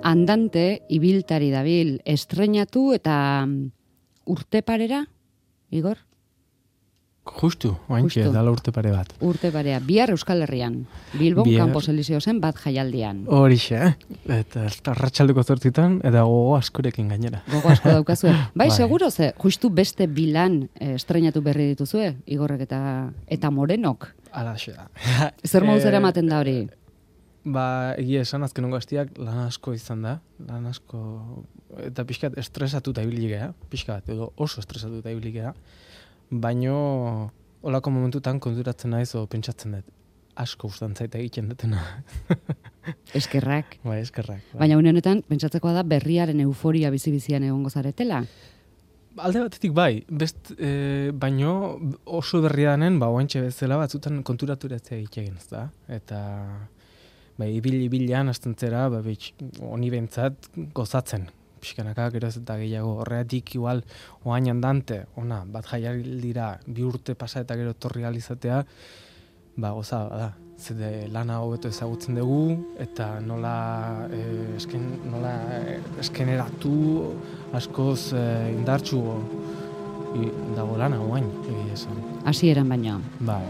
Andante ibiltari dabil, estreinatu eta urte parera, Igor? Justu, oaintxe, dala urte pare bat. Urte parea, bihar Euskal Herrian, Bilbon Campos Elíseo zen bat jaialdian. Horixe, eta arratsaldeko 8 eta gogo askorekin gainera. Gogo asko daukazue. Bai, seguro ze, justu beste bilan estreinatu berri dituzue, Igorrek eta Morenok. Alaxe da. Zer moduz eramaten da hori? Egia esan azkenongo hastiak lan asko izan da, eta pixkat estresatuta ibili gea, pixkat, edo oso estresatuta ibili gea, baino olako momentutan konturatzen naiz o pentsatzen dut. Asko gustan zait egiten dutena. Eskerrak. Bai, eskerrak. Bai. Baina une honetan pentsatzekoa da berriaren euforia bizi-bizian egongo zaretela. Alde batetik bai, baino oso berria denen, oaintxe bezala batzutan konturaturetzea egiten ez da. Eta ibilian hasten zera, honi bentzat gozatzen. Pixkanaka, geroz eta gehiago, horreatik igual oain andante, bat jaialdira 2 urte pasa eta gero torri alizatea, goza da. Zede lana hobeto ezagutzen dugu, eta nola eskeneratu askoz indartsu dago lana oain, esan. Hasieran baino. Bai.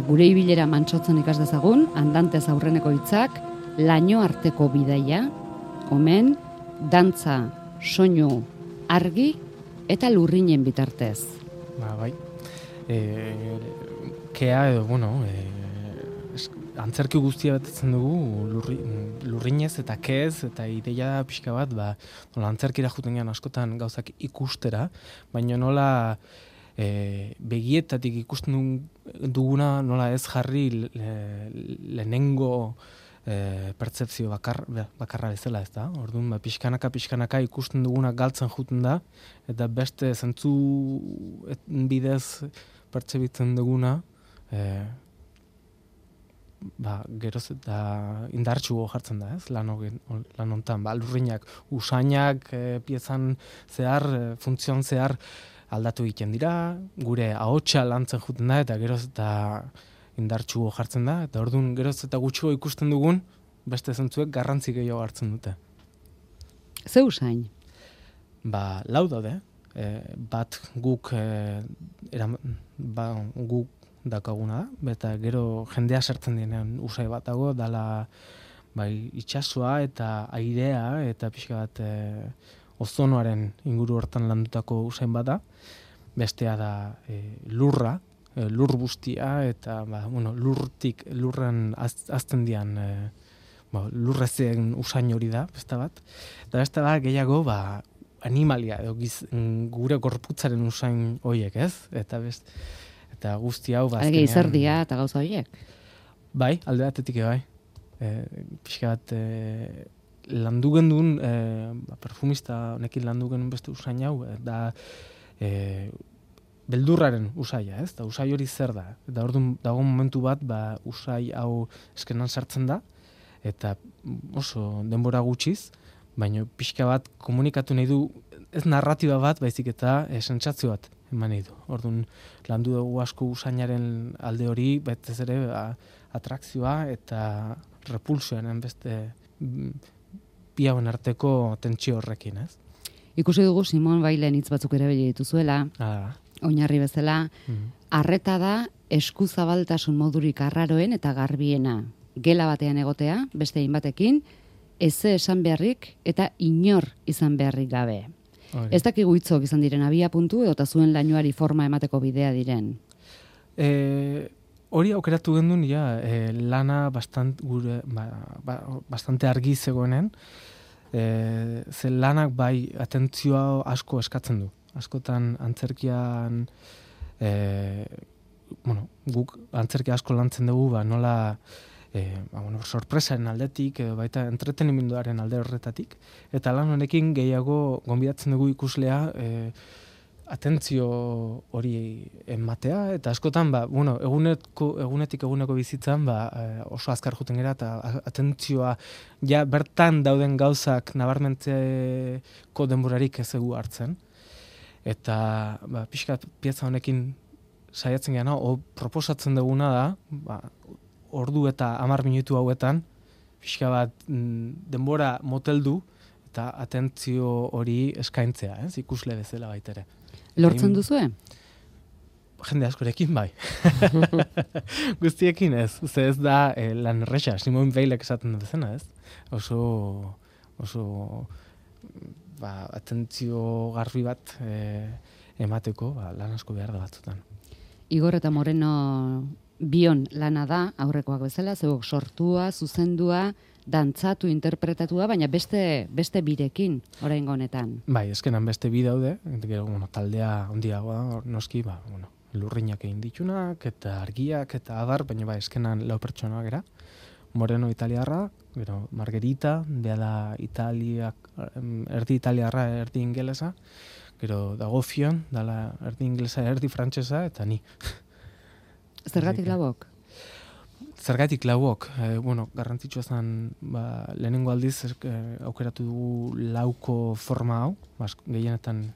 Gure ibilera mantsotzen ikas dezagun, andantez aurreneko hitzak, laino arteko bidaia, omen, dantza, soinu, argi eta lurrinen bitartez. Bai. Kea edo, antzerki guztia betetzen dugu lurrinez eta keez eta ideia pixka bat, antzerkira juten gehan askotan gauzak ikustera, baina nola begietatik ikusten duguna nola ez jarri lehenengo pertzepzio bakarra bezala, ez da? Orduan, pixkanaka ikusten duguna galtzen juten da, eta beste zentzu bidez pertzebitzen duguna, geroz eta indartsu jartzen da, ez? Lan hontan, lurrinak, usainak, piezan zehar, funtzion zehar aldatu egiten dira, gure ahotsa lantzen juten da, eta geroz eta indartsu jartzen da, eta orduan geroz eta gutxo ikusten dugun, beste zentzuek garrantzi gehiago hartzen dute. Ze usain? Lau daude, bat guk guk dakaguna da, eta gero jendea sartzen denean usai bat dago, dala itsasoa eta airea, eta pixka bat ozonoaren inguru hortan landutako usain bat da, bestea da lurra, lur guztia, eta lurren azten dian lurrezen usain hori da, beste bat. Eta beste bat gehiago animalia, gure gorputzaren usain horiek, ez? Eta guzti hau azkenean... izerdia eta gauza horiek? Bai, alde batetik bai. Pixka bat landu gendun, perfumista honekin landu gendun beste usain hau, da beldurraren usaia, ez? Da usai hori zer da. Eta orduan dago momentu bat, usai hau eskenan sartzen da, eta oso denbora gutxiz, baina pixka bat komunikatu nahi du, ez narratiba bat, baizik eta sentsazio bat eman nahi du. Orduan landu dugu asko usainaren alde hori, betez ere atrakzioa eta repulsioaren beste bi hauen arteko tentsio horrekin, ez? Ikusi dugu Simon Bailen hitz batzuk erabili dituzuela. Oinarri bezala, arreta da eskuzabaltasun modurik arraroen eta garbiena. Gela batean egotea, beste hainbatekin, eze esan beharrik eta inor izan beharrik gabe. Ez dakigu hitzok izan diren abia puntu eta zuen lainoari forma emateko bidea diren. Hori aukeratu gendun, lana bastante argi zegoenen, ze lanak atentzioa asko eskatzen du. Askotan antzerkian, guk antzerkia asko lantzen dugu, nola sorpresaren aldetik, baita entretenimenduaren alde horretatik, eta lan honekin gehiago gonbidatzen dugu ikuslea atentzio hori ematea, eta askotan, egunetik eguneko bizitzan, oso azkar juten gera, eta atentzioa bertan dauden gauzak nabarmentzeko denborarik ez egu hartzen. Eta pixkat pieza honekin saiatzen geana, proposatzen duguna da, ordu eta 10 minutu hauetan, pixka bat denbora moteldu, eta atentzio hori eskaintzea, ikusle bezala baitere. Lortzen duzue? Jende askorekin bai. Guztiekin ez. Ze ez da lan erresa. Simon Weilek esaten duzena, ez? Oso atentzio garbi bat emateko lan asko behar da batzutan. Igor eta Moreno bion lana da, aurrekoak bezala, zeuk sortua, zuzendua, dantzatu, interpretatua, baina beste birekin, oraingo honetan. Bai, eskenan beste bi daude, taldea handiagoa, noski, lurrinak egin ditunak, eta argiak, eta abar, baina eskenan lau pertsona gera. Moreno italiarra, gero Margherita, bea da erdi italiarra, erdi ingelesa, gero dago Fion, dala erdi ingelesa, erdi frantsesa, eta ni. Zergatik lauok? Zergatik lauok, garrantzitsua zen, lehenengo aldiz aukeratu dugu lauko forma hau, gehienetan...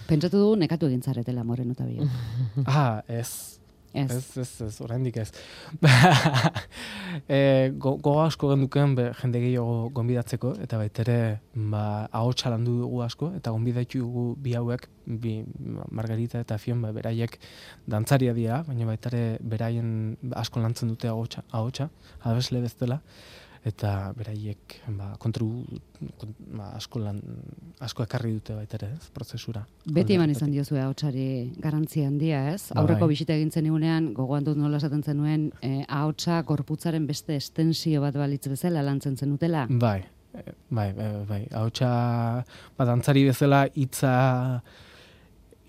Pentsatu dugu nekatu egin zaretela Moreno eta Bio. Ez, oraindik ez. Gogo asko genduken jende gehiago gonbidatzeko, eta baitere ahotsa landu dugu asko, eta gonbidatu dugu bi hauek, Margarita eta Fion, beraiek dantzaria dira, baina baitare beraien asko lantzen dute ahotsa, abesle bezala, eta beraiek asko ekarri dute baitere, prozesura. Beti eman izan diozue ahotsari garrantzia handia, ez? Aurreko bisita egin zenigunean, gogoan dut nola esaten zenuen, ahotsa gorputzaren beste estensio bat balitz bezala lantzen zenutela? Bai. Ahotsa dantzari bezala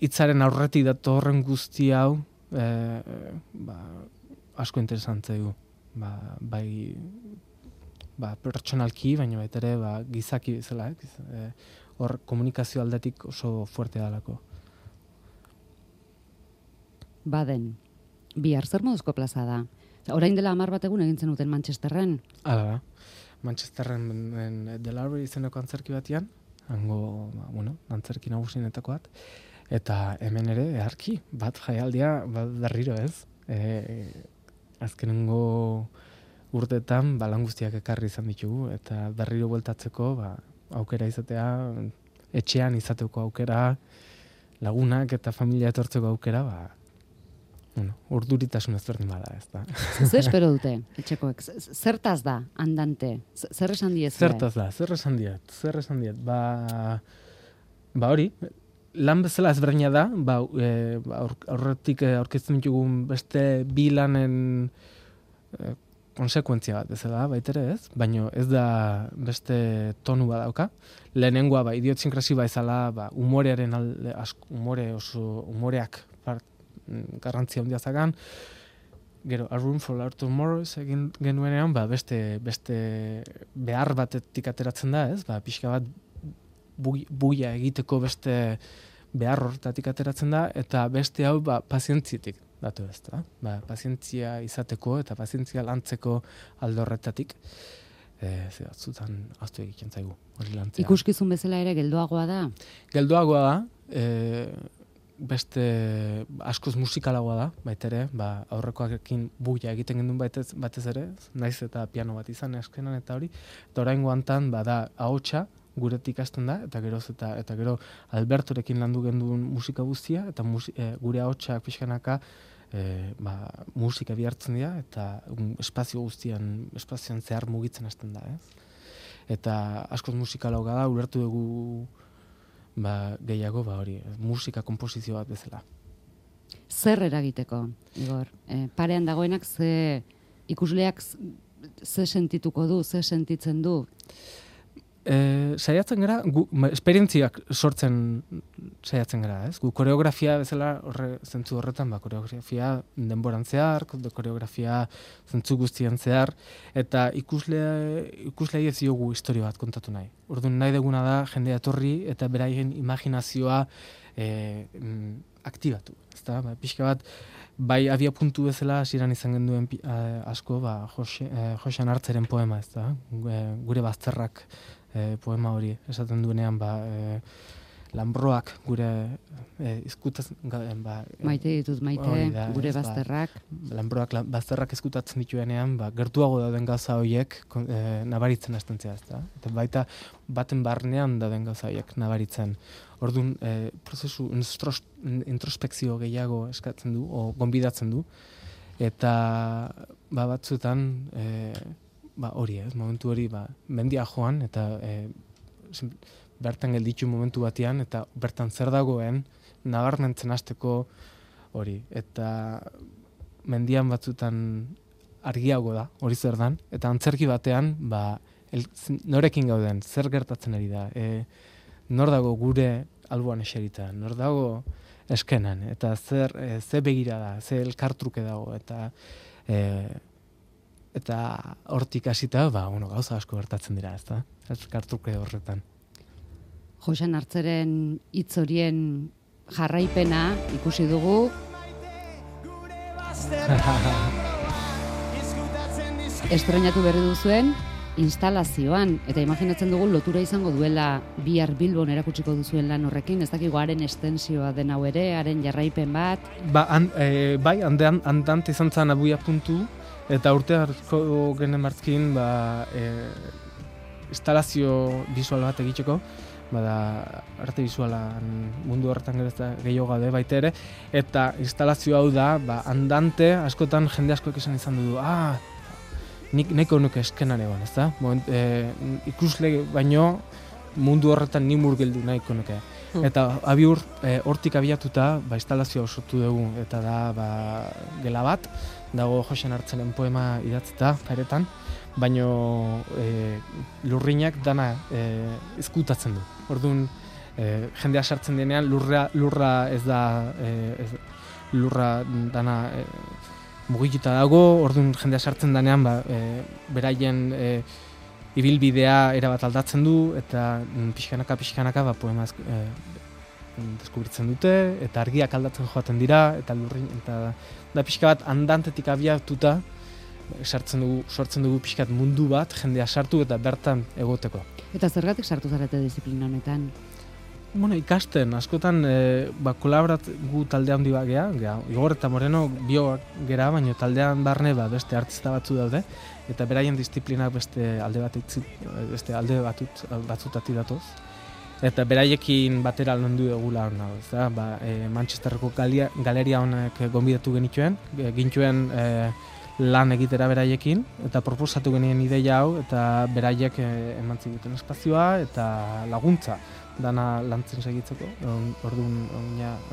hitzaren aurretik datorren guzti hau asko interesantzea du. Pertsonalki, baina baita ere gizaki bezala, hor komunikazio aldetik oso fuerte dalako. Baden, bihar zer moduzko plaza da? Orain dela 10 bat egun egin zenuten Manchesterren? Hala da. Manchesterren The Lowry izeneko antzerki batian, hango, antzerki nagusienetako bat, eta hemen ere, eharki, bat jaialdia, berriro ez. Azkenengo urteetan lan guztiak ekarri izan ditugu, eta berriro bueltatzeko aukera izatea, etxean izateko aukera, lagunak eta familia etortzeko aukera, urduritasun ezberdin bada, ez da. Zer espero dute, etxekoek? Zertaz da, andante? Zer esan diez? Zertaz da, zer esan diet. Hori, lan bezala ezberdina da, aurretik aurkezten ditugun beste bi lanen konsekuentzia bat bezala, baitere ez, baina ez da beste tonu badauka. Lehenengoa, idiosinkrasi izala, humorearen alde, humoreak garrantzia handia zagan. Gero, A Room for Our Tomorrows egin genuenean, beste behar batetik ateratzen da, ez? Pixka bat buia egiteko beste behar horretatik ateratzen da, eta beste hau pazientzietik datu ez da. Pazientzia izateko eta pazientzia lantzeko alde horretatik, batzutan aztu egiten zaigu. Ikuskizun bezala ere geldoagoa da? Geldoagoa da, beste askoz musikalagoa da, baitere, aurrekoarekin buia egiten gendun batez ere, naiz eta piano bat izan eskenan eta hori, eta oraingo hantan da ahotsa guretik hasten da, eta gero Albertorekin landu genduen musika guztia, eta gure ahotsak pixkanaka musika bihartzen dira, eta espazioan zehar mugitzen hasten da, ez? Eta askoz musikalagoa da, ulertu dugu gehiago, hori, musika konposizio bat bezala. Zer eragiteko, Igor? Parean dagoenak ikusleak ze sentituko du, ze sentitzen du? Saiatzen gara, esperientziak sortzen saiatzen gara, ez? Gu koreografia bezala zentzu horretan, koreografia denboran zehar, koreografia zentzu guztian zehar, eta ikuslei ez diogu historia bat kontatu nahi. Orduan nahi deguna da jendea etorri eta beraien imaginazioa aktibatu. Ezta? Pixka bat, bai abia puntu bezala hasieran izan genduen asko, Josean Hartzeren poema, ezta? Gure bazterrak poema hori esaten duenean, Lanbroak gure izkutatzen maite ditut gure bazterrak. Lanbroak bazterrak izkutatzen dituenean, gertuago dauden gauza horiek nabaritzen hasten zea, ezta? Eta baita baten barnean dauden gauza horiek nabaritzen. Orduan, prozesu introspekzio gehiago eskatzen du, o gonbidatzen du, eta batzuetan hori momentu hori mendia joan, eta bertan gelditu momentu batean, eta bertan zer dagoen nabarmentzen hasteko hori. Eta mendian batzuetan argiago da, hori zer dan, eta antzerki batean norekin gauden, zer gertatzen ari da, nor dago gure alboan eserita, nor dago eskenan, eta ze begira da, ze elkartruke dago, eta hortik hasita, gauza asko gertatzen dira, ezta? Elkartruke horretan. Joxan Artzeren hitz horien jarraipena ikusi dugu. Estrenatu berri duzuen instalazioan, eta imaginatzen dugu lotura izango duela bihar Bilbon erakutsiko duzuen lan horrekin, ez dakigu haren estensioa den hau ere, haren jarraipen bat. Bai, andante izan zen abuia puntu, eta urte harko genen martzkin instalazio visual bat egiteko, arte visualan mundu horretan gehiago gaude baita ere, eta instalazio hau da, andante askotan jende askoek esan izan du, nik nahiko nuke eskenan egon, ezta? Ikusle baino mundu horretan ni murgildu nahiko nuke. Eta abiur hortik abiatuta instalazioa sortu dugu, eta da gela bat, dago Joxan Artzeren poema idatzita paretan, baino lurrinak dana izkutatzen du. Orduan jendea sartzen denean lurra ez da lurra dana mugituta dago, orduan jendea sartzen denean beraien ibilbidea erabat aldatzen du, eta pixkanaka poema deskubritzen dute, eta argiak aldatzen joaten dira, eta da pixka bat andantetik abiatuta sortzen dugu pixkat mundu bat, jendea sartu eta bertan egoteko. Eta zergatik sartu zarete disiplina honetan? Ikasten, askotan kolaboratu talde handi bat geha, Igor eta Moreno bio gera, baina taldean barne beste artista batzu daude, eta beraien disiplinak beste alde batzutati datoz. Eta beraiekin batera landu egula hona, Manchesterreko galeria honek gonbidatu gintuen lan egitera beraiekin, eta proposatu genien ideia hau, eta beraiek eman ziguten espazioa eta laguntza dana lantzen segitzeko. Orduan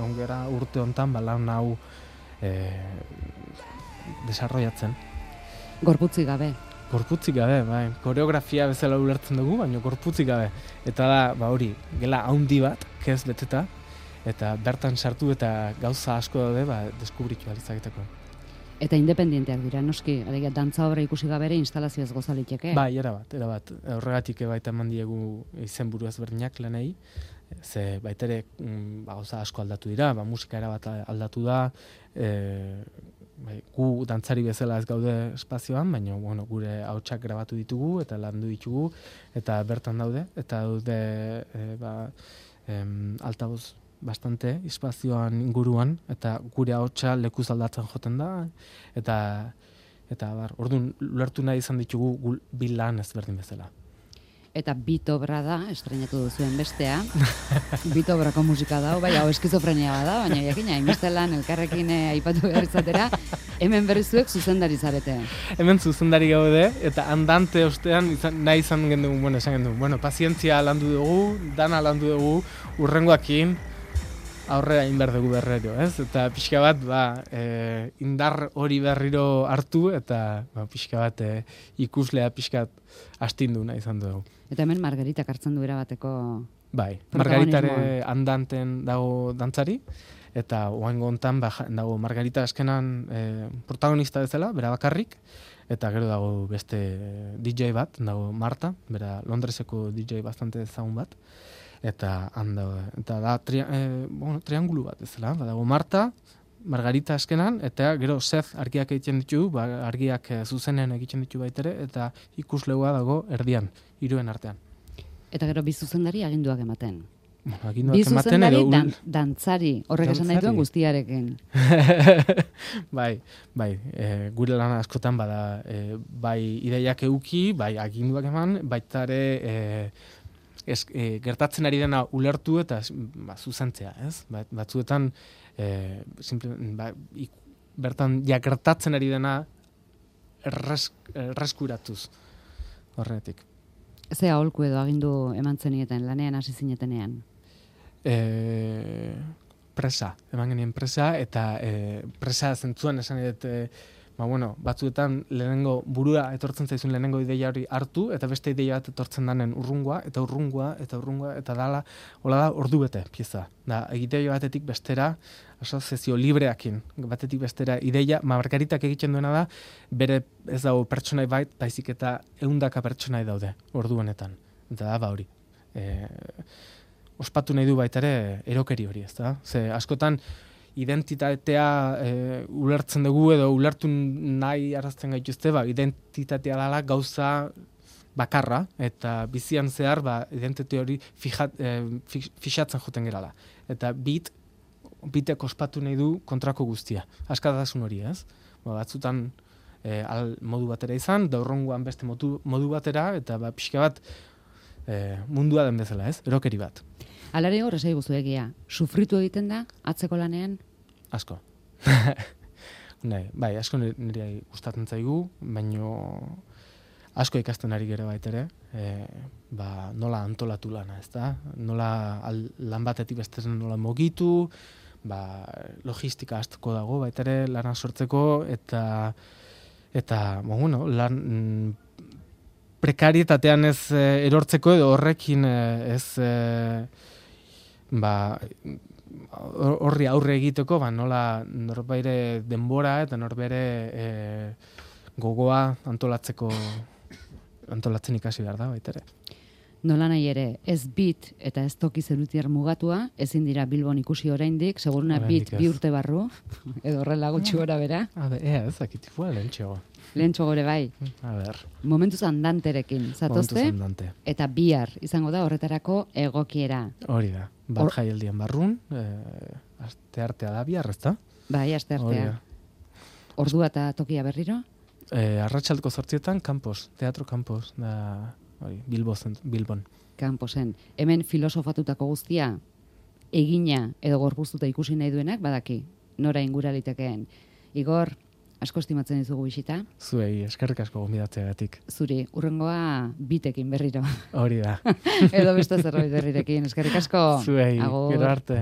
ongera urte hontan lan hau desarrollatzen. Gorputzik gabe. Gorputzik gabe, koreografia bezala ulertzen dugu, baina gorputzik gabe. Eta da, hori, gela haundi bat, kez beteta, eta bertan sartu eta gauza asko daude, deskubritu alizaketeko. Eta independienteak dira, noski, dantza obra ikusi gabere instalazioaz gozaliteke. Erabat. Horregatik baita eman diegu izenburu ezberdinak lanei, ze baitere gauza asko aldatu dira, musika erabat aldatu da, gu dantzari bezala ez gaude espazioan, baina gure ahotsak grabatu ditugu eta landu ditugu, eta bertan daude, eta daude altaboz bastante espazioan inguruan, eta gure ahotsa lekuz aldatzen joten da, eta orduan ulertu nahi izan ditugu bi lan ezberdin bezala. Eta Bitobra da, estrenatu duzuen bestea. Bitobrako musika da, hau eskizofrenia bada, baina jakina, hainbestelan elkarrekin aipatu behar izatera, hemen berrizuek zuzendari zarete. Hemen zuzendari gaude, eta andante ostean nahi izan gendugu, esan gendugu, pazientzia landu dugu, dana landu dugu, urrengoakin, aurrera inbar dugu berriro, ez? Eta pixka bat, indar hori berriro hartu, eta pixka bat ikuslea pixka astindu nahi izan dugu. Eta hemen Margaritak hartzen du erabateko Margaritare andanten dago dantzari, eta oaingo hontan dago Margarita eskenan protagonista bezala, bera bakarrik, eta gero dago beste DJ bat, dago Marta, bera Londreseko DJ bastante ezagun bat, eta da triangulu bat ezela, dago Marta, Margarita eskenan, eta gero Seth argiak egiten ditu, argiak zuzenen egiten ditu baitere, eta ikuslegoa dago erdian, hiruen artean. Eta gero bi zuzendari aginduak ematen. Bi zuzendari dantzari, horrek esan nahi duen guztiarekin. Bai, gure lan askotan bada, bai ideiak euki, bai aginduak eman, baita ere gertatzen ari dena ulertu eta zuzentzea, ez? Batzuetan, bertan gertatzen ari dena erreskuratuz horretik. Ze aholku edo agindu eman zenietan, lanean hasi zinetenean? Eman genien presa, eta presa zentzuan esan edet, batzuetan lehenengo burua etortzen zaizun lehenengo ideia hori hartu, eta beste ideia bat etortzen danen urrungoa, eta dala, hola da, ordu bete pieza. Da, egiteio batetik bestera, asoziazio libreakin, batetik bestera ideia, Margaritak egiten duena da, bere ez dago pertsonai baizik eta 100 pertsonai daude, ordu honetan. Eta da, hori. Ospatu nahi du baita ere erokeri hori, ez da? Ze askotan identitatea ulertzen dugu edo ulertu nahi arazten gaituzte, identitatea dela gauza bakarra eta bizian zehar identitate hori fixatzen joten gerala. Eta bitek ospatu nahi du kontrako guztia. Askatasun hori, ez? Batzutan modu batera izan, daurrongoan beste modu batera, eta pixka bat mundua den bezala, ez? Erokeri bat. Alare hor esai guzu egia, sufritu egiten da, atzeko lanean? Asko. Bai, asko nire gustatzen zaigu, baino asko ikasten ari gero baitere, nola antolatu lana, ez da? Nola lan batetik bestezen nola mogitu, logistika asko dago baitere lana sortzeko, eta lan prekarietatean ez erortzeko edo horrekin ez horri aurre egiteko, nola norbaire denbora eta norbere gogoa antolatzen ikasi behar da, baitere. Nola nahi ere, ez bit eta ez toki zerutiar mugatua, ezin dira Bilbon ikusi oraindik, seguruna bit 2 urte barru, edo horrela gutxi gora bera. Ez, akitifua lehentxego. Lehentxo gore bai. A ber. Momentuz andanterekin, zatozte? Momentuz andante. Eta bihar izango da horretarako egokiera. Hori da. Bat jaialdian barrun, asteartea da bihar, ez da? Bai, asteartea. Ordua eta tokia berriro? Arratsaldeko 8etan, Teatro Campos, da, Bilbon. Camposen. Hemen filosofatutako guztia, egina edo gorpuztuta ikusi nahi duenak, badaki, nora ingura litekeen. Igor, asko estimatzen dizugu bisita. Zuei, eskerrik asko gonbidatzeagatik. Zuri, urrengoa bitekin berriro. Hori da. Edo beste zerbait berrirekin, eskerrik asko. Zuei, gero arte.